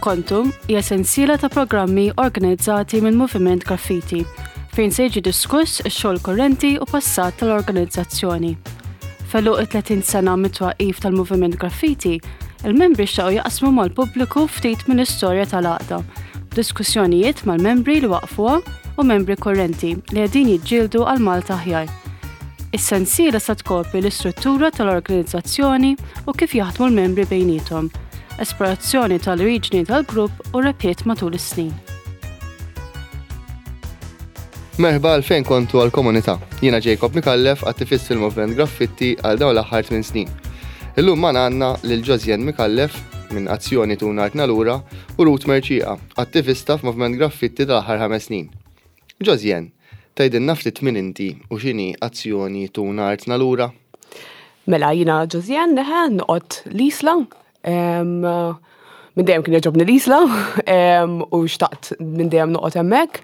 Kontu hija sensiela ta' programmi organizzati minn Moviment Graffiti fejn se jiġi diskuss ix-xogħol kurrenti u passat tal-organizzazzjoni. F'għeluq it-30 sena mit-twaqqif tal-Moviment Graffiti, il-membri xtaqu jaqsmu mal-pubbliku ftit mill-istorja tal-għaqda, b'diskussjonijiet mal-membri li waqqfuha u membri kurrenti li qegħdin jiġġieldu għal Malta aħjar. Is-sensiela se tkopri l-istruttura tal-organizzazzjoni u kif jaħdmu l-membri bejniethom, esplorazzjoni tal-oriġini tal-grupp u rebħiet matul is-snin. Merħba għal fejn kontu għal komunità. Jiena Jacob Micallef, attivist fil-Moviment Graffitti għal dawn l-aħħar 8 snin. Illum magħna għandna lil Josiane Micallef minn Azzjoni Tuna Artna Lura u Ruth Mercieca, attivista f'Moviment Graffitti tal-aħħar ħames snin. Josiane, tgħidilna ftit min inti u x'inhi Azzjoni Tuna Artna Lura? Mela, jiena Josiane, neħe, noqgħod l-Isla. Minn dejjem kien jogħġobni l-Isla u xtaqt minn dejjem noqgħod hemmhekk.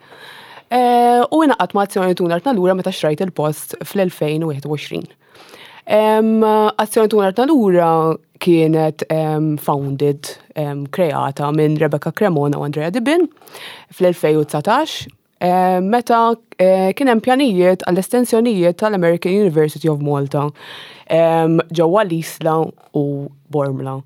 Eh, u ingħaqadt ma' Azzjoni Tuna Artna Lura meta xtrajt il-post fl-2021. Azzjoni Tuna Artna Lura kienet founded, kreata minn Rebecca Cremona u Andrea Dibin fl-2019 meta kien hemm pjanijiet għall-estensjonijiet tal-American University of Malta ġewwa l-Isla u Bormla.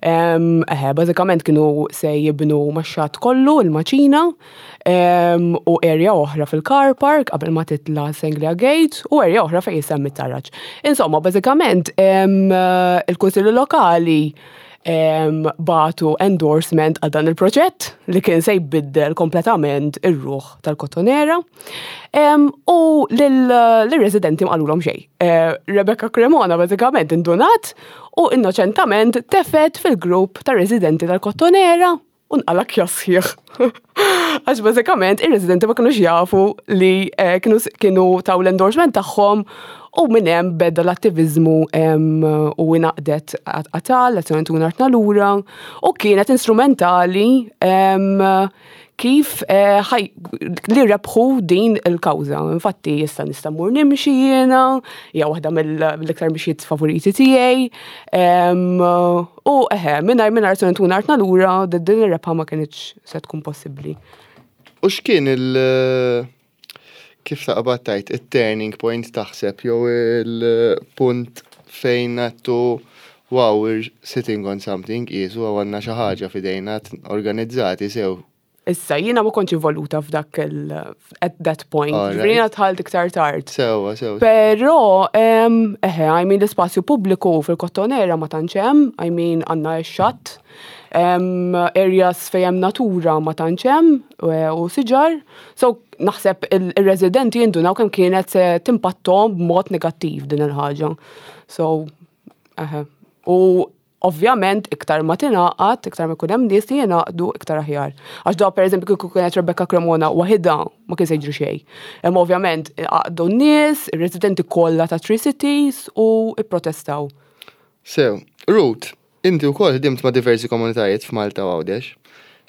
Eħe, bażikament kienu se jibnu max-xatt kollu il-maċina u area oħra fil-car park qabel ma titla' Senglia Gate u area oħra fejn jissemmi t-taraġ. Insomma, bażikament il-Kunsilli Lokali bagħtu endorsement għal dan il-proġett li kien se jbiddel kompletament ir-ruħ tal-Kottonera. U lill-residenti ma qalulhom xejn. Eh, Rebecca Cremona bażikament indunat u innoċentament tefet fil-grupp ta' residenti tal-Kottonera u nqala kjass sħiħ. Għax bażikament ir-residenti ma kinux jafu li eh, kienu, kienu taw l-endorsement tagħhom u minn hemm beda l-attiviżmu u ingħaqdet għatal, l-azzjoni tkun artna lura u kienet instrumentali kif eh, li rebħu din il-kawża. Infatti issa nista' mmur nimxi jiena, hija waħda mill-iktar mixjiet favoriti tiegħi. U eħe, mingħajr mingħajr se tkun artna lura din ir-rebħa ma kinitx se tkun possibbli. U x'kien il- kif taqbad tgħid it-turning point taħseb jew il-punt fejn għedtu wow we're sitting on something qisu għandna xi ħaġa f'idejna organizzati sew. Issa, jiena ma kontx involuta f'dak il at that point. Ġifieri jiena dħalt iktar tard. Sewwa, sewwa. Però, eħe, I mean l-ispazju pubbliku fil-Kottonera ma tantx hemm, I mean għandna x-xatt, areas fejn hemm natura ma tantx hemm eh, u siġar. So naħseb il-residenti jindunaw kemm kienet se timpattom b'mod negattiv din il-ħaġa. So, eħe. U Ovvjament, iktar ma tingħaqad, iktar ma jkun hemm nies li jingħaqdu iktar aħjar. Għax daw pereżempju kieku kienet Rebecca Cremona waħidha ma kien se jiġri xejn. Imma ovvjament għaqdu n-nies, ir-residenti kollha ta' Three Cities u ipprotestaw. Sew, Ruth, inti wkoll ħdimt ma' diversi komunitajiet f'Malta u Għawdex.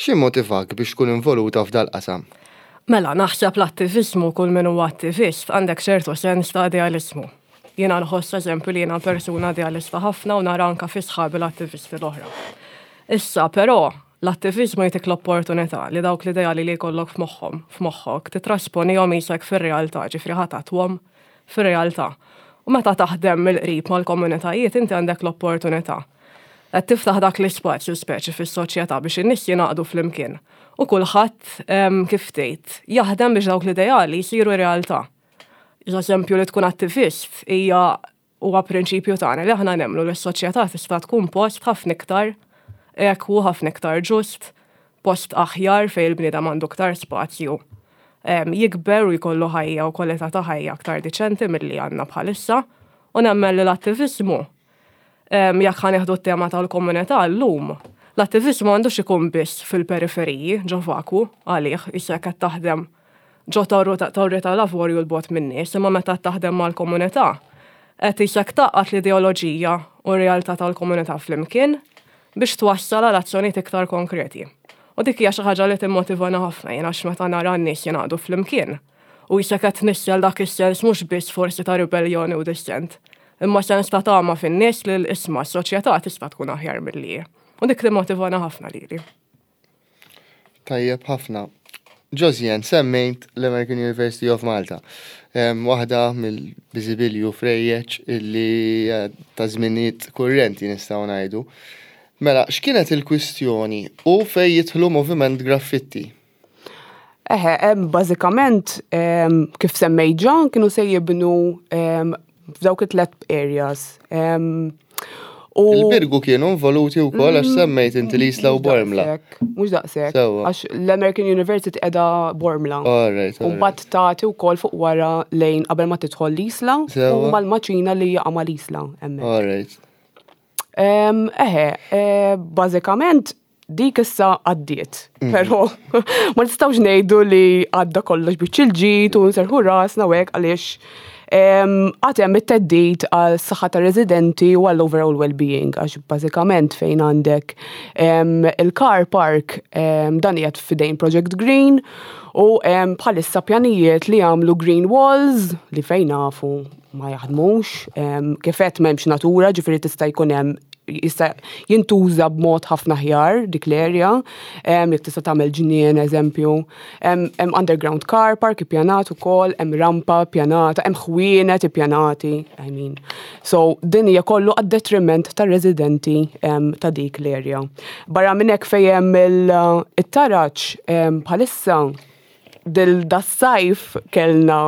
X'immotivak biex tkun involuta f'dal-qasam? Mela, naħseb l-attiviżmu kull min huwa attivist għandek ċertu sens ta' idealiżmu. Jiena nħoss eżempju li jiena persuna idealista ħafna u nara anka fi sħabi l-attivisti l-oħra. Issa, però, l-attiviżmu jtik l-opportunità li dawk l-ideali li jkollok f'moħħhom, f'moħħok, titrasponihom isek fir-realtà, ġifri ħa tatwhom fir-realtà. U meta taħdem mill-qrib mal-komunitajiet inti għandek l-opportunità. Qed tiftaħ dak l-ispazju speċi fis-soċjetà biex in-nies jingħaqdu flimkien. U kulħadd, kif tgħid, jaħdem biex dawk l-ideali jsiru realtà. L-eżempju li tkun attivist hija huwa prinċipju tagħna li aħna nemmnu li s-soċjetà tista' tkun post ħafna iktar ekwu, ħafna iktar ġust, post aħjar fejn il-bniedem għandu iktar spazju jikber u jkollu ħajja u kwalità ta' ħajja aktar diċenti milli għandna bħalissa. U nemmen li l-attiviżmu Jekk ħa nieħdu t-tema tal-komunità llum, l-attiviżmu m'għandux ikun biss fil-periferiji, ġo vakwu, għalih, isek qed taħdem ġo torri tal-avorju 'l bogħod min-nies, imma meta qed taħdem mal-komunità, qed isek tgħaqqad l-ideoloġija u r-realtà tal-komunità flimkien biex twassal għal azzjonijiet iktar konkreti. U dik hija xi ħaġa li timmotivana ħafna jien għax meta nara n-nies jingħaqdu flimkien u isek qed tnissel dak is-sens mhux biss forsi ta' ribelljoni u dissent, Imma sens ta' tama fin-nies li isma' s-soċjetà tista' tkun aħjar milli hi. U dik timmotivana ħafna lili. Tajjeb ħafna. Josian, semmejt l-American University of Malta. Waħda mill-biżibilju frejjeċ illi eh, ta' żminijiet kurrenti nistgħu ngħidu. Mela, x'kienet il-kwistjoni u fej jidħlu Moviment Graffitti? Eħe, bażikament kif semmejt ġa kienu se jibnu f'dawk it-tlet areas. U Il-Birgu kienu involuti wkoll għax semmejt inti l-Isla u Bormla. Mhux daqshekk. Għax l-American University qiegħda Bormla. U mbagħad tagħti wkoll fuq wara lejn qabel ma tidħol l-Isla u mal-maċina li jaqa' mal-Isla hemmhekk. Eħe, eh, bażikament dik issa għaddiet. Però ma nistgħux ngħidu li għadda kollox biċ il-ġid u nserħu rasna u hekk għaliex għad hemm it-theddid għal saħħa ta' residenti u għall overall well-being għax bażikament fejn għandek il-car park dan qiegħed f'idejn Project Green u bħalissa pjanijiet li jagħmlu green walls li fejn nafu ma jaħdmux, kif għedt m'hemmx natura, ġifieri tista' jkun hemm jista' jintuża b'mod ħafna aħjar dik l-area, jekk tista' tagħmel ġnien eżempju. Hemm underground car park ippjanat ukoll, hemm rampa ppjanata, hemm ħwienet ippjanati, I mean. So din hija kollu għad-detriment tar-residenti ta' dik l-area. Barra minn hekk fejn hemm il-taraġ bħalissa Dil das-sajf kellna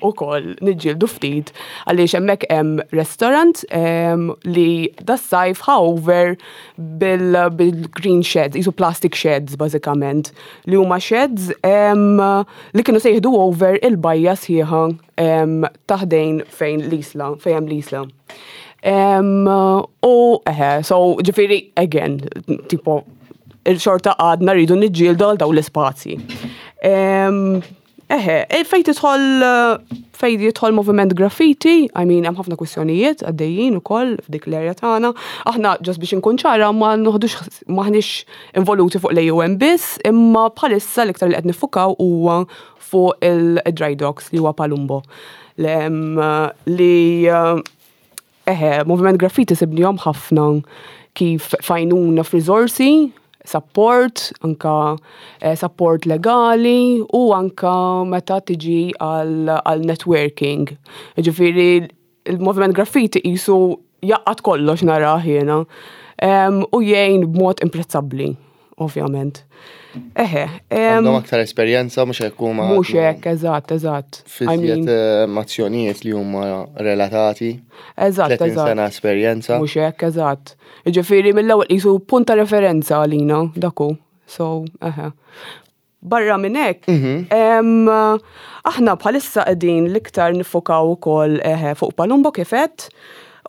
ukoll niġġieldu ftit għaliex hemmhekk hemm restaurant li das-sajf ħa over bil-green sheds, qisu plastic sheds bażikament, li huma sheds li kienu se jieħdu over il-bajja sħiħa ta' ħdejn fejn l-Isla, fejn hemm l-Isla. U eħe, so ġifieri again, tipo il-xorta għadna rridu niġġieldu għal dawn l-ispazji. Eħe, e, fejn tidħol fejn jidħol moviment graffiti, I mean, hemm ħafna kwistjonijiet għaddejjin ukoll f'dik l-erja tagħna. Aħna ġas biex inkun ċara ma noħdux maħniex involuti fuq l-AUM biss, imma bħalissa l-iktar li qed nifukaw huwa fuq il-dry docks li huwa Palumbo. Li eħe, Moviment Graffiti sibnihom ħafna kif fajnuna f'riżorsi, support, anka eh, support legali u anka meta tiġi għal networking. Ġifieri il-Moviment Graffiti qisu jaqqat kollox narah jiena. U jgħin b'mod imprezzabbli, ovvjament. Eħe. Għandhom aktar esperjenza mhux hekk huma. Mhux hekk, eżatt, eżatt. Fiżjed azzjonijiet li huma relatati. Eżatt, eżatt. sena esperjenza. Mhux hekk, eżatt. Ġifieri mill-ewwel qisu punt ta' referenza għalina daku. So, eħe. Barra minn hekk, aħna bħalissa qegħdin l-iktar nifokaw ukoll eh, fuq Palumbo kif għedt.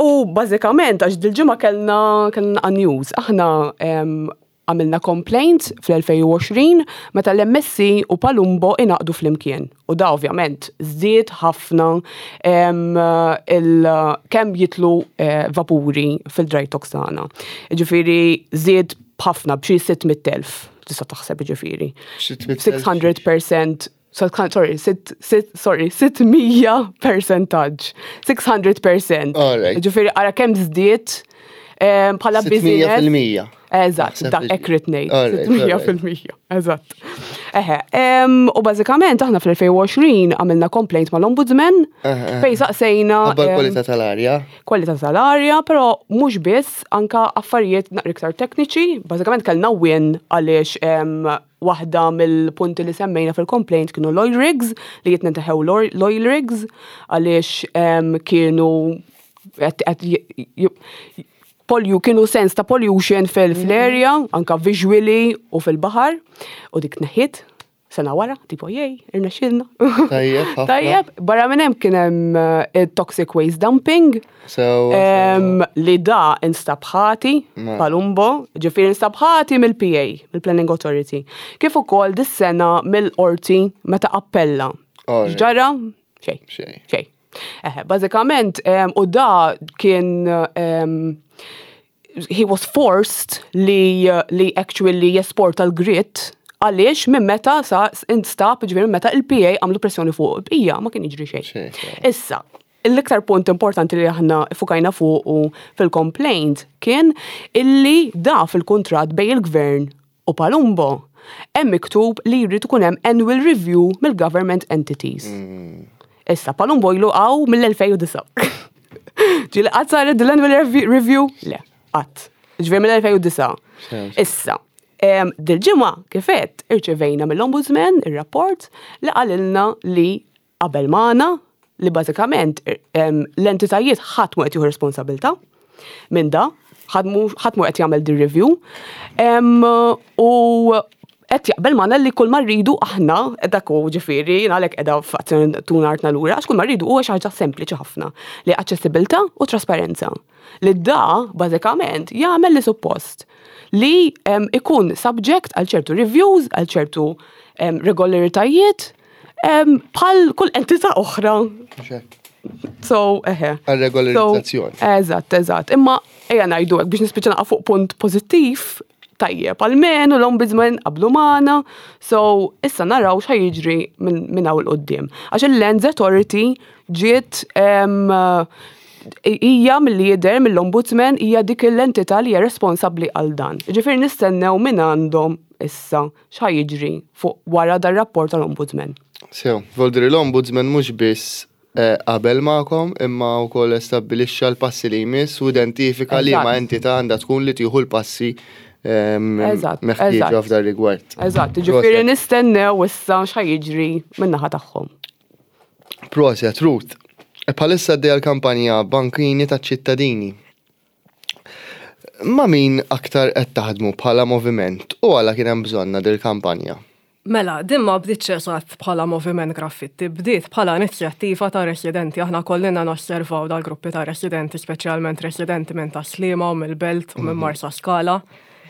U bażikament għax dil-ġimgħa kellna kellna news. Aħna għamilna complaint fl-2020 meta l-MSC u Palumbo inaqdu flimkien. U da ovvjament żdied ħafna kemm jitlu eh, vapuri fil-dry docks tagħna. Ġifieri żied b'ħafna b'xi 600,000 tista' taħseb ġifieri. 600% sorry, sorry, 600 percentaġġ. 600%. Ġifieri ara kemm żdied bħala business. 600%. Eżatt, dak hekk rid ngħid. 600%, eżatt. Eħe, u bażikament aħna fl-2020 għamilna complaint mal-Ombudsman fejn saqsejna. Kwalità tal-arja. Kwalità tal-arja, però mhux biss, anka affarijiet naqra iktar tekniċi. Bażikament kellna win għaliex waħda mill-punti li semmejna fil-complaint kienu l-oil rigs, li jitnenteħew l-oil rigs għaliex kienu polju kienu sens ta' pollution fil-area, anka visually u fil-baħar, u dik tneħħiet sena wara, tipo jej, irnexxilna. Tajjeb, Tajjeb, barra minn hemm kien hemm eh, toxic waste dumping. So, li da instab ħati, Palumbo, ġifieri instab ħati mill-PA, mill-Planning Authority. Kif ukoll dis-sena mill-qorti meta appella. Ġara? Xej. Xej. Eh, bażikament, u da kien he was forced li, li actually jesporta l-grit għaliex minn meta sa instab ġifieri minn meta il-PA għamlu pressjoni fuq il-bqija ma kien jiġri xejn. Issa, l-iktar punt importanti li aħna fukajna fuq u fil-complaint kien illi da fil-kuntratt bej il-gvern u Palumbo. hemm miktub li jrid ikun hemm annual review mill-government entities. Issa, Palumbo ilu hawn mill-2009. Ġieli qatt saret l-annual review? Le, qatt. Ġifieri mill-2009. Issa, dil-ġimgħa kif għedt irċevejna mill-Ombudsman ir-rapport li qalilna li qabel magħna li bażikament l-entitajiet ħadd mhu qed jieħu responsabilità minn da, ħadd mhu qed jagħmel di review. U qed jaqbel magħna li kull ma rridu aħna, dak hu ġifieri, jien għalhekk qiegħda f'azzjoni tuna artna lura, għax kull ma rridu huwa xi ħaġa sempliċi ħafna, li aċċessibilità u trasparenza. Li da bażikament jagħmel li suppost li ikun subject għal ċertu reviews, għal ċertu regolaritajiet, bħal kull entità oħra. So, eħe. Għal regolarizzazzjoni. Eżatt, eżatt. Imma ejja ngħidu hekk biex nispiċċa naqa' fuq punt pożittiv, tajjeb, almenu l-ombudsman qablu magħna, so issa naraw x'ħa jiġri minn hawn 'il quddiem. Għax il-Lands Authority ġiet hija milli jidher mill-ombudsman hija dik l-entità li hija responsabbli għal dan. Ġifieri nistennew minn għandhom issa x'ħa jiġri fuq wara dar-rapport tal-ombudsman. Sew, voldiri l-ombudsman mhux biss qabel magħkom imma wkoll stabbilixxa l-passi li jmiss u identifika li ma entità għandha tkun li tieħu l-passi meħtieġa f'dan rigward. Eżatt, ġifieri nistennew issa x'ħa jiġri min-naħa tagħhom. Proset, Ruth. Bħalissa għaddejja l-kampanja Bankini taċ-ċittadini. Ma' min aktar qed taħdmu bħala moviment u għala kien hemm bżonnha dil-kampanja? Mela, din ma bdietx eżatt bħala Moviment Graffitti, bdiet bħala inizjattiva ta' residenti. Aħna kollina nosservaw dal-gruppi ta' residenti, speċjalment residenti minn Tas-Sliema u mill-Belt u minn Marsaskala,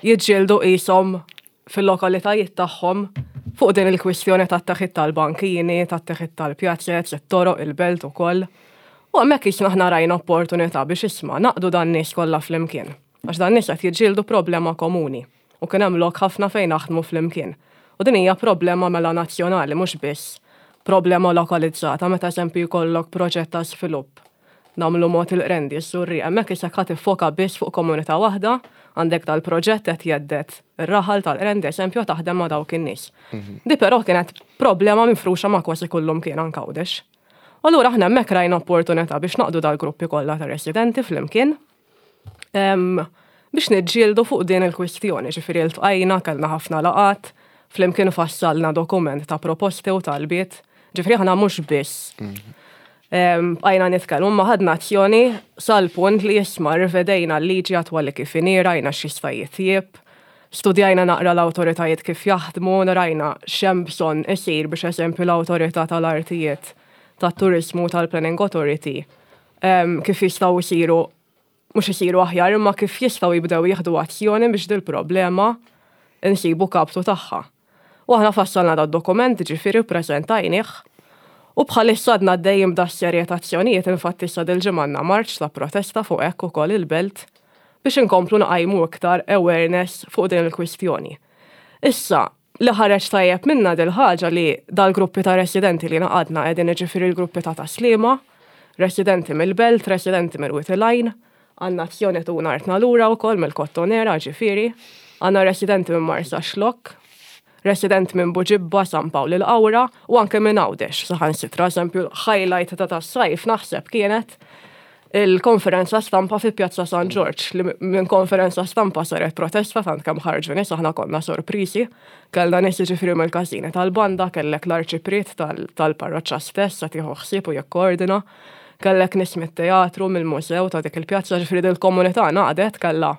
jiġġieldu qishom fil-lokalitajiet tagħhom fuq din il-kwistjoni tat-teħid tal-bankini, tat-teħid tal-pjazez, it-toroq, il-belt ukoll. U hemmhekk qisna aħna rajna opportunità biex isma' naqdu dan-nies kollha flimkien. Għax dan-nies qed jiġġieldu problema komuni u kien hemm lok ħafna fejn naħdmu flimkien. U din hija problema mela nazzjonali mhux biss problema lokalizzata meta eżempju jkollok proġett ta' żvilupp nagħmlu mod il-Qrendi, s-Surri, hemmhekk isek ħa tiffoka biss fuq komunità waħda, għandek dal-proġett qed jhedded ir-raħal tal-Qrendi eżempju taħdem ma' dawk in-nies. Di però kienet problema mifruxa ma' kważi kullumkien anke Għawdex. U allura aħna hemmhekk rajna opportunità biex naqdu dal-gruppi kollha ta' residenti flimkien biex niġġieldu fuq din il-kwistjoni, ġifieri ltqajna, kellna ħafna laqgħat, flimkien fassalna dokument ta' proposti u talbiet, ġifieri aħna mhux biss bqajna nitkellmu ma ħadna azzjoni sal-punt li isma' rrivedejna l-liġi attwali kif inhi, rajna x'jista' jitjieb, studjajna naqra l-awtoritajiet kif jaħdmu, rajna x'hemm bżonn isir biex eżempju l-awtorità tal-artijiet tat-turiżmu tal-Planning Authority kif jistgħu jsiru mhux isiru aħjar imma kif jistgħu jibdew jieħdu azzjoni biex dil-problema nsibu kaptu tagħha. U aħna fassalna da dokument ġifieri ppreżentajnih u bħalissa għadna għaddejjin b'da serje ta' azzjonijiet infatti issa dil-ġimgħa għandna marċ ta' protesta fuq hekk ukoll il-belt biex inkomplu nqajmu iktar awareness fuq din il-kwistjoni. Issa, li ħareġ tajjeb minna dil-ħaġa li dal-gruppi ta' residenti li naqadna qegħdin jiġifieri l-gruppi ta' Tas-Sliema, residenti mill-Belt, residenti mill-Wied il-Għajn, għandna azzjoni tuna artna lura wkoll mill-Kottonera ġifieri, għandna residenti minn Marsaxlokk, residenti minn Buġibba, San Pawl il-Qawra u anke minn Għawdex saħansitra, eżempju highlight ta' tas-sajf naħseb kienet il-konferenza stampa fi Pjazza San Ġorġ li minn konferenza stampa saret protesta tant kemm ħarġu nies aħna konna sorpriżi. Kellna nies jiġifieri mill-każini tal-banda, kellek l-arċipriet tal-parroċċa stess qed jieħu ħsieb u jikkoordina, kellek nies mit-teatru, mill-mużew ta' dik il-pjazza, ġifieri dil-komunità ngħaqdet kellha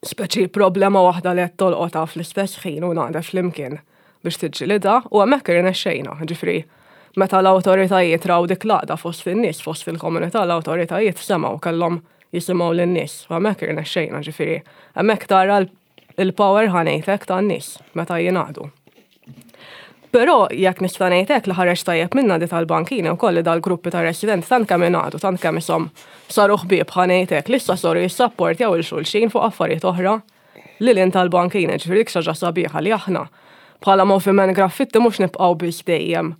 speċi problema waħda li qed tolqotha fl-istess ħin u ngħaqdet flimkien biex tiġġilidha u hemmhekk irnexxejna, ġifri meta l-awtoritajiet raw dik l-għaqda fost in-nies, fost il-komunità, l-awtoritajiet semgħu kellhom jisimgħu lin-nies u hemmhekk irnexxejna, ġifieri hemmhekk tara l-power ħa ngħidlek tan-nies meta jingħaqdu. Però jekk nista' ngħid hekk li ħareġ tajjeb minnha di tal-bankini wkoll li dal-gruppi ta' residenti tant kemm ingħaqdu, tant kemm ishom saru ħbieb ħa ngħid hekk li issa saru jissapportjaw il xulxin fuq affarijiet oħra lil hinn tal-bankini, ġifieri dik xi ħaġa sabiħa li aħna bħala Moviment Graffitti mhux nibqgħu biss dejjem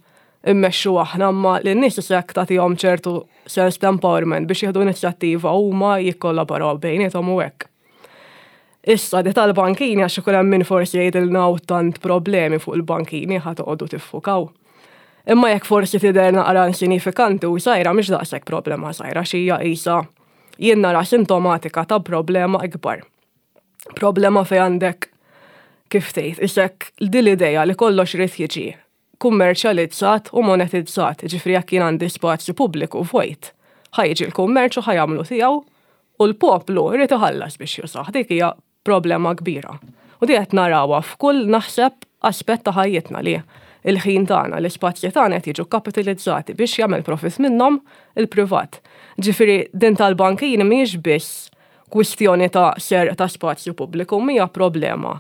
immexxu aħna imma lin-nies issa hekk tagħtihom ċertu sens ta' empowerment biex jieħdu inizjattiva huma jikkollaboraw bejniethom u hekk. Issa di tal-bankini għax ikun hemm min forsi jgħidilna hawn tant problemi fuq il-bankini ħa toqogħdu tiffukaw. Imma jekk forsi tidher naqra insinifikanti u żgħira mhix daqshekk problema żgħira xi hija qisha jien nara sintomatika ta' problema ikbar. Problema fejn għandek kif tgħid isek din l-idea li kollox irid jiġi kummerċjalizzat u monetizzat, jiġifieri jekk jien għandi spazju pubbliku vojt, ħa jiġi l-kummerċ u ħa jagħmlu tiegħu u l-poplu jrid iħallas biex jużah. Dik hija problema kbira. U di qed narawha f'kull naħseb aspett ta' ħajjitna li il-ħin tagħna, l-ispazji tagħna qed jiġu kapitalizzati biex jagħmel profit minnhom il-privat. Ġifieri din tal-bankini mhijiex biss kwistjoni ta' serq ta' spazju pubbliku, mhija problema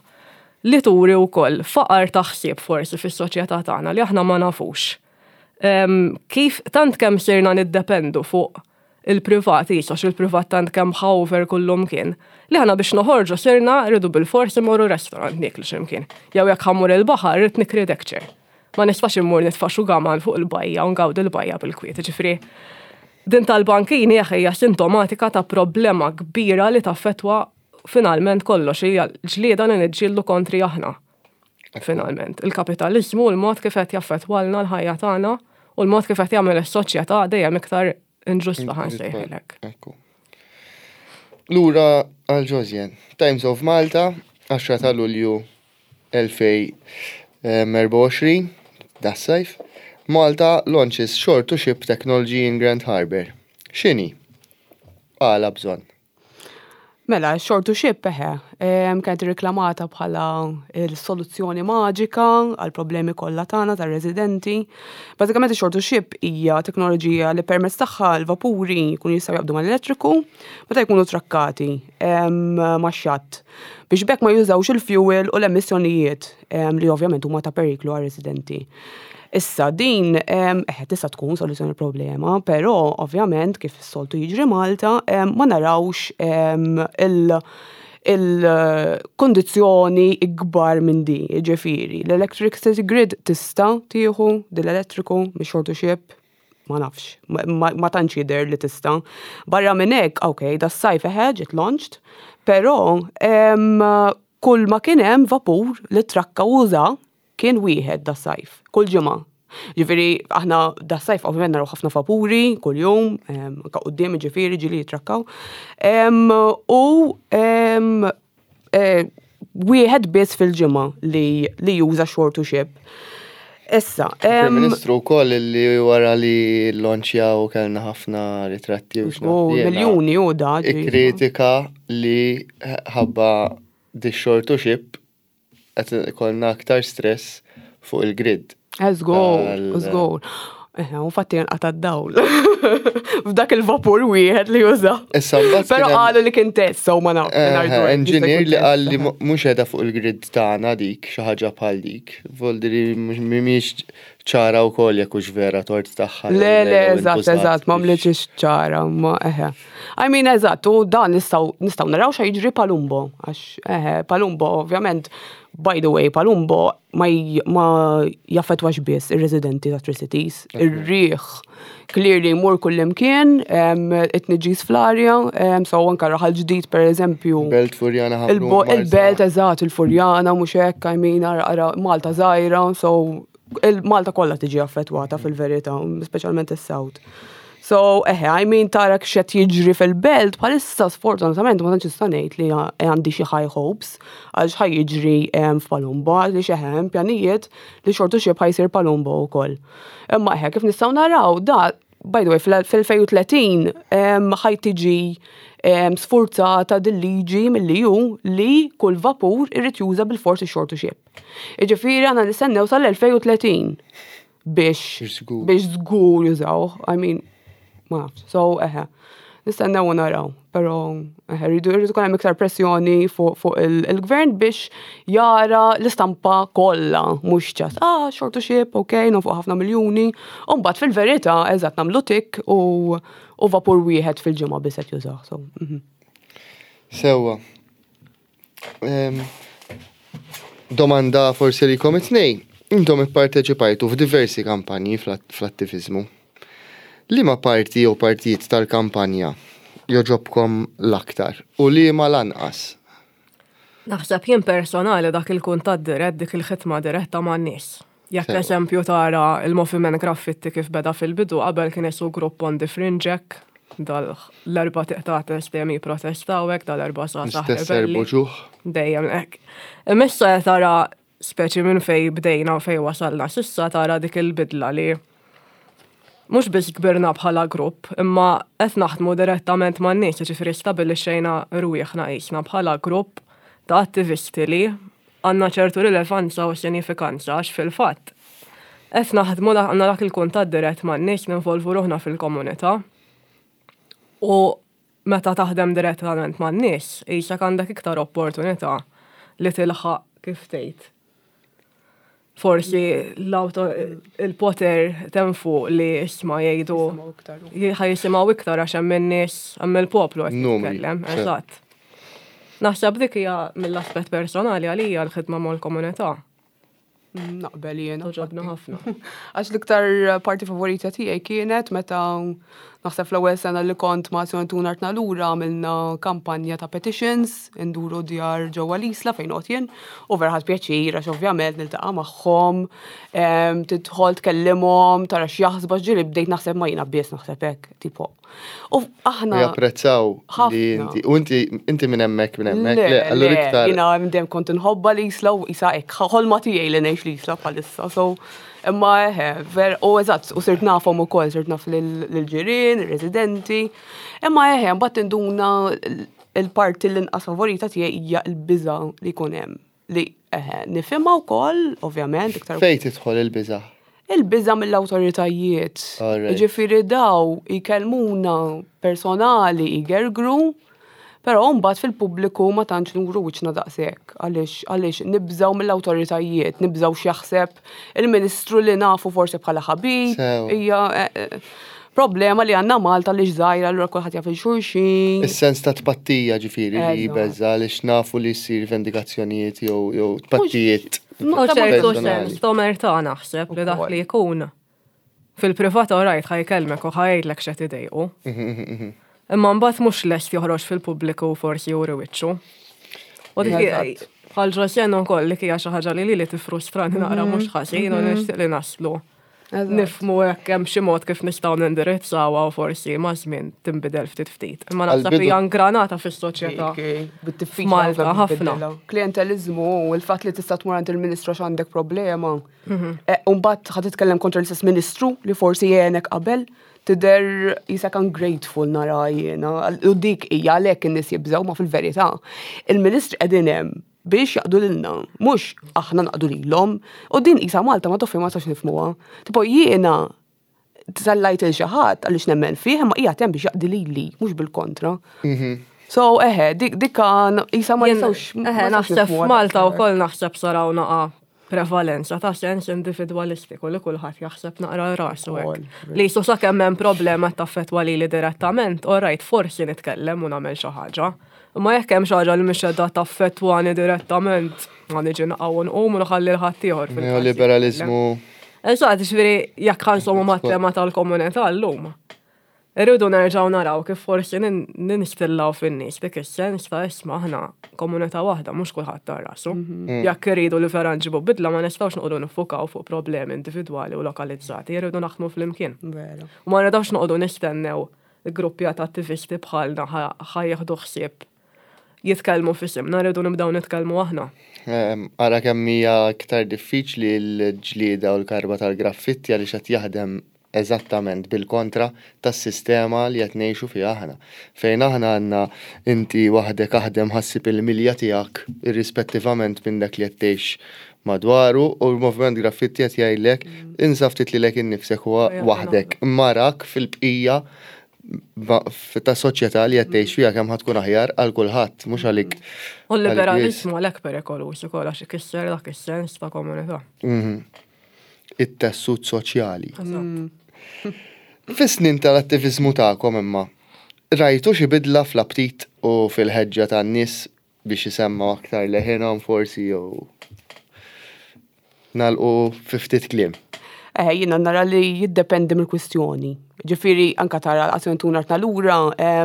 li turi wkoll faqar ta' ħsieb forsi fis-soċjetà tagħna li aħna ma nafux. Kif tant kemm sirna niddependu fuq il-privat qisu għax il-privat tant kemm ħa over kullumkien, li aħna biex noħorġu sirna rridu bilfors immorru restaurant nieklu x'imkien. Jew jekk ħa mmur il-baħar irrid nikri deck chair. Ma nistax immur nitfa' xugaman fuq il-bajja u ngawdi l-bajja bil-kwiet. Ġifieri din tal-bankini hija sintomatika ta' problema kbira li taffettwa finalment kollox hija ġlieda li niġġieldu kontri aħna. Finalment, il-kapitaliżmu u l-mod kif qed jaffettwalna l-ħajja tagħna u l-mod kif qed jagħmel is-soċjetà dejjem iktar inġusta ħa nsejħilek. Ekku. Lura għal Josien. Times of Malta, 10 ta' Lulju 2024, das-sajf. Malta launches shore to ship technology in Grand Harbour. X'inhi? Għala bżonn? Mela, shore to ship eħe, kienet irriklamata bħala l-soluzzjoni maġika għal problemi kollha tagħna tar-residenti. Bażikament shore to ship hija teknoloġija li permezz tagħha l-vapuri jkunu jistgħu jaqbdu mal-elettriku meta jkunu trakkati max-xatt biex b'hekk ma jużawx il-fuel u l-emissjonijiet li ovvjament huma ta' periklu għar-residenti. Issa din eħe tista' tkun soluzzjoni problema, però ovvjament kif is-soltu jiġri Malta ma narawx il- il-kondizzjoni ikbar minn di, ġifieri l-electricity grid tista' tieħu dil-elettriku mix-shore to ship, ma nafx, ma tantx jidher li tista'. Barra minn hekk, ok, das-sajf eħe ġiet launched, però kull ma kien hemm vapur li trakka uża kien wieħed das-sajf, kull ġimgħa. Ġifieri aħna das-sajf ovvjament naraw ħafna vapuri kuljum, anke quddiem ġifieri ġieli jitrakkaw. U eh, wieħed biss fil-ġimgħa li li juża shore to ship. Issa, Prim Ministru wkoll li wara li lonċjaw kellna ħafna ritratti u x'naf jiena, miljuni u da. Ikkritika li ħabba di shore to ship qed ikollna aktar stress fuq il-grid. Żgur, żgur. U fatti nqata' d-dawl. F'dak il-vapur wieħed li juża. Issa mbagħad Però qalu li kien test, so ma nafx. Engineer li qal li mhux qiegħda fuq il-grid tagħna dik, xi ħaġa bħal dik. Voldiri mhijiex ċara wkoll jekk hux vera tort tagħha. Le, le, eżatt, eżatt, ma mlitx ċara, ma eħe. I mean, eżatt, u dan nistgħu nistgħu naraw xa jiġri Palumbo, għax eħe, Palumbo ovvjament, by the way, Palumbo ma, ma jaffetwax biss ir-residenti ta' Three Cities, ir-riħ clearly jmur kullimkien, it-tniġġis fl-arja, so anka raħal ġdid per eżempju. Belt Furjana Il-belt eżatt, il-Furjana, mhux hekk, I mean, ara Malta żgħira, so il-Malta kollha tiġi affettwata fil-verità, speċjalment is-South. So, eħe, I mean, tara x'qed jiġri fil-belt, bħalissa sfortunatament ma tantx nista' ngħid li għandi xi high hopes għal x'ħa jiġri f'Palumbo, għaliex eħe hemm pjanijiet li shore to ship ħa jsir Palumbo wkoll. Imma eħe, kif nistgħu naraw, da, by the way, fl-2030 ħaj tiġi sfurzata dil-liġi mill-EU li kull vapur irid juża bil-forsi shore to ship. Jiġifieri għandna nistennew sal-2030 biex biex żgur jużaw. I mean, ma nafx. So, eħe, nistennew u naraw. Però, eħe, rridu rridu hemm iktar pressjoni fuq fu il-gvern biex jara l-istampa kollha, mhux ċas, ah, shore to ship, ok, nonfuq ħafna miljuni. U mbagħad fil-verità, eżatt nagħmlu tik u u vapur wieħed fil-ġimgħa biss qed jużah. So, mhm. Sewwa. Domanda forsi likom it-tnejn. Intom ipparteċipajtu f'diversi kampanji fl-attiviżmu. Liema parti jew partijiet tal-kampanja jogħġobkom l-aktar u liema l-anqas? Naħseb jien personali dak il-kuntatt dirett, dik il-ħidma diretta man-nies. Jekk eżempju tara il-Moviment Graffitti kif beda fil-bidu, qabel kien isu grupp on the fringe hekk, dal l-erba' tiqtates dejjem jipprotestaw hekk, dal-erba' żgħażagħ L-istess ribelli. erbuġuħ. Dejjem hekk. Imma issa tara speċi minn fejn bdejna u fejn wasalna s'issa tara dik il-bidla li mhux biss kbirna bħala grupp, imma qed naħdmu direttament man-nies, jiġifieri stabilixxejna rwieħna qisna bħala grupp ta' attivisti li għandna ċertu rilevanza u sinifikanza għax fil-fatt qed naħdmu għandna dak il-kuntatt dirett man-nies, ninvolvu ruħna fil-komunità u meta taħdem direttament man-nies, qisek għandek iktar opportunità li tilħaq kif tgħid. Forsi l-auto il-poter tenfu li isma' jgħidu ħa jisimgħu iktar għax hemm in-nies hemm il-poplu qed jitkellem. Eżatt. Naħseb dik hija mill-aspett personali għalija l-ħidma mal-komunità. Naqbel jiena. Toġobna ħafna. Għax l-iktar parti favorita tiegħi kienet meta naħseb fl-ewwel sena li kont ma' Azzjoni Tuna Artna Lura għamilna kampanja ta' petitions induru djar ġewwa l-Isla fejn noqgħod jien u vera ħadt pjaċir għax ovvjament niltaqa' magħhom, tidħol tkellimhom, tara x'jaħsbu għax ġieli bdejt naħseb ma jiena biss naħseb hekk, tipo U aħna. Japprezzaw li inti. U inti inti minn hemmhekk minn hemmhekk. Le, allura iktar. Jiena dejjem kont inħobba l-Isla u isa hekk ħolma tiegħi li ngħix l-Isla bħalissa. So imma eħe, ver, u eżatt, u sirt nafhom ukoll, sirt naf lill-ġirien, ir-residenti. Imma eħe, mbagħad tinduna il-parti l-inqas favorita tiegħi hija l-biża' li jkun hemm. Li eħe, nifhimha wkoll, ovvjament, iktar. Fejn tidħol il-biża'? Il-biża' mill-awtoritajiet. Ġifieri daw jkellmuna personali jgergru, però mbagħad fil-pubbliku ma tantx nuru wiċċna daqshekk. Għaliex għaliex nibżgħu mill-awtoritajiet, nibżgħu x'jaħseb il-Ministru li nafu forsi bħala ħabib. Hija eh, eh, problema li għandna Malta li żgħira allura kulħadd jaf il-xulxin. Is-sens ta' tpattija ġifieri li jbeżża għaliex nafu li jsir vendikazzjonijiet jew tpattijiet. U ċertu sens ta' omertà naħseb li dak li jkun fil-privat orajt ħa jkellmek u ħa jgħidlek x'qed idejqu. Imma mbagħad mhux lest joħroġ fil-pubbliku forsi juri wiċċu. U dik bħal Ġosjen ukoll li hija xi ħaġa li lili tifrustrani naqra mhux ħażin u nixtieq li naslu. Nifhmu jekk hemm xi mod kif nistgħu nindirizzawha u forsi maż-żmien tinbidel ftit ftit. Imma naħseb hija ingranata fis-soċjetà. Malta ħafna. Klienteliżmu u l-fatt li tista' tmur għand il-Ministru għax għandek problema. Eh, u mbagħad ħa titkellem kontra l-istess Ministru li forsi jgħenek qabel tidher jisek ungrateful nara jiena. U dik hija għalhekk in-nies jibżgħu ma fil-verità. Il-Ministri qegħdin hemm biex jaqdu lilna, mhux aħna naqdu lilhom. U din qisha Malta ma toffi ma tistax nifhmuha. Tipo jiena tellajt il xi ħadd għaliex nemmen fih imma qiegħed hemm biex jaqdi lili, mhux bil-kontra. Mhm. So eħe, dik dikka qisha ma nistgħux. Eħe, naħseb f'Malta wkoll naħseb saraw naqa' prevalenza ta' sens individwalistiku li kulħadd jaħseb naqra rasu hekk. Li jisu sakemm hemm problema taffettwa lili direttament, orajt forsi nitkellem u nagħmel xi ħaġa. Imma jekk hemm xi ħaġa li mhix qiegħda taffettwani direttament, ma niġi naqgħu u nqum u nħalli l ħaddieħor fil Neoliberaliżmu. Eżatt, ġifieri jekk ħa nżommu mat-tema tal-komunità llum. Irridu nerġgħu naraw kif forsi ninstillaw fin-nies dik is-sens ta' isma' aħna komunità waħda mhux kulħadd ta' rasu. Mhm. Jekk irridu li vera nġibu bidla ma nistgħux noqogħdu nifukaw fuq problemi individwali u lokalizzati, irridu naħdmu flimkien. U ma rridux noqogħdu nistennew gruppi ta' attivisti bħalna ħa jieħdu ħsieb jitkellmu f'isimna, rridu nibdew nitkellmu aħna. Ara kemm hija iktar diffiċli l-ġlieda u l-karba tal-graffitti għaliex qed jaħdem eżattament bil-kontra tas-sistema li qed ngħixu fiha aħna. Fejn aħna għandna inti waħdek aħdem ħa ssib il-milja tiegħek irrispettivament minn dak li qed tgħix madwaru u l-Moviment Graffitti qed jgħidlek insa ftit lilek innifsek u waħdek imma rak fil-bqija ta' soċjetà li qed tgħix fiha kemm ħa tkun aħjar għal kulħadd, mhux għalik. U l-liberaliżmu għalhekk perikoluż ukoll għax ikisser dak is-sens ta' komunità. Mhm. It-tessut soċjali. Mm. Fis-snin tal-attiviżmu tagħkom imma, rajtu xi bidla fl-aptit u fil-ħeġġa tan-nies biex isemmgħu aktar leħinhom forsi jew nagħlqu fi ftit kliem. Eh, jiena nara li jiddependi mill-kwistjoni. Ġifieri anka tara l-azzjoni Tuna Artna Lura,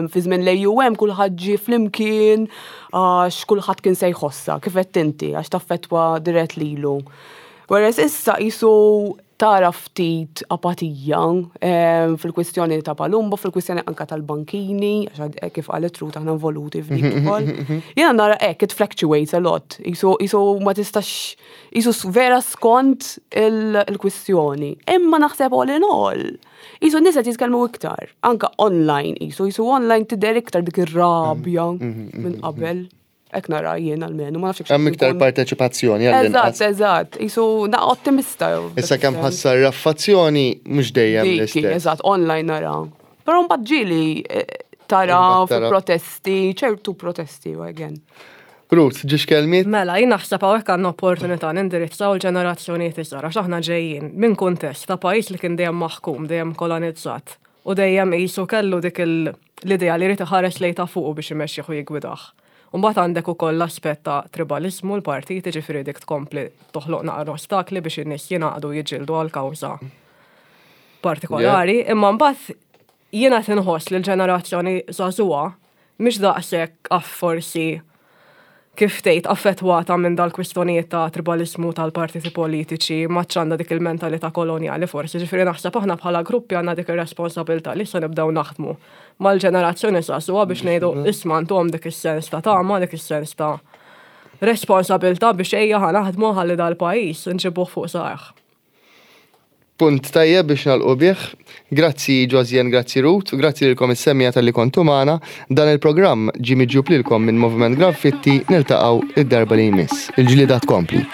fi żmien l-AUM kulħadd ġie flimkien għax kulħadd kien se jħossha, kif għedt inti, għax taffettwa dirett lilu. Whereas issa qisu tara ftit apatija fil-kwistjoni ta' Palumbo, fil-kwistjoni anka tal-bankini, għax kif qalet Ruth aħna involuti f'dik ukoll. Jiena nara hekk, it fluctuates a lot. Qisu ma tistax, qisu vera skont il-kwistjoni. Imma naħseb all in all, qisu n-nies qed jitkellmu iktar, anka online qisu, qisu online tidher iktar dik ir-rabja minn qabel. Hekk nara jien almenu, ma nafx. Hemm iktar parteċipazzjoni għall Eżatt, eżatt. Isu na ottimista. Issa kemm ħassar raffazzjoni mhux dejjem l-istess. Eżatt, online nara. Però mbagħad ġieli eh, tara protesti, ċertu protesti u again. Ruth, ġiex kelmiet? Mela, jien naħseb hawnhekk għandna opportunità nindirizzaw il-ġenerazzjonijiet iżgħar għax aħna ġejjin minn kuntest ta' pajjiż li kien dejjem maħkum, dejjem kolonizzat u dejjem qisu kellu dik l-idea li jrid iħares lejn ta' fuqu biex imexxih u jiggwidah. U mbagħad għandek ukoll l-aspett ta' tribaliżmu, l-partiti, ġifieri dik tkompli toħloq naqra ostakli biex in-nies jingħaqdu u jiġġieldu għal kawża partikolari, imma mbagħad jiena qed inħoss li l-ġenerazzjoni żagħżugħa mhix daqshekk af forsi kif tgħid affettwata minn dal-kwistjonijiet ta' tribaliżmu tal-partiti politiċi, m'għadx għandha dik il-mentalità kolonjali forsi, ġifieri naħseb aħna bħala gruppi għandna dik ir-responsabilità li issa nibdew naħdmu mal-ġenerazzjoni żagħżugħa biex ngħidu isma' ntuhom dik is-sens ta' tama, dik is-sens ta' responsabilità biex ejja ħa naħdmu ħalli dal-pajjiż nġibuh fuq saqajh. Punt tajjeb biex nagħlqu bih. Grazzi Josiane, grazzi Ruth, u grazzi lilkom is-semmiegħa talli kontu magħna. Dan il-programm ġie miġjub lilkom minn Moviment Graffitti, niltaqgħu id-darba li jmiss. Il-ġlieda tkompli.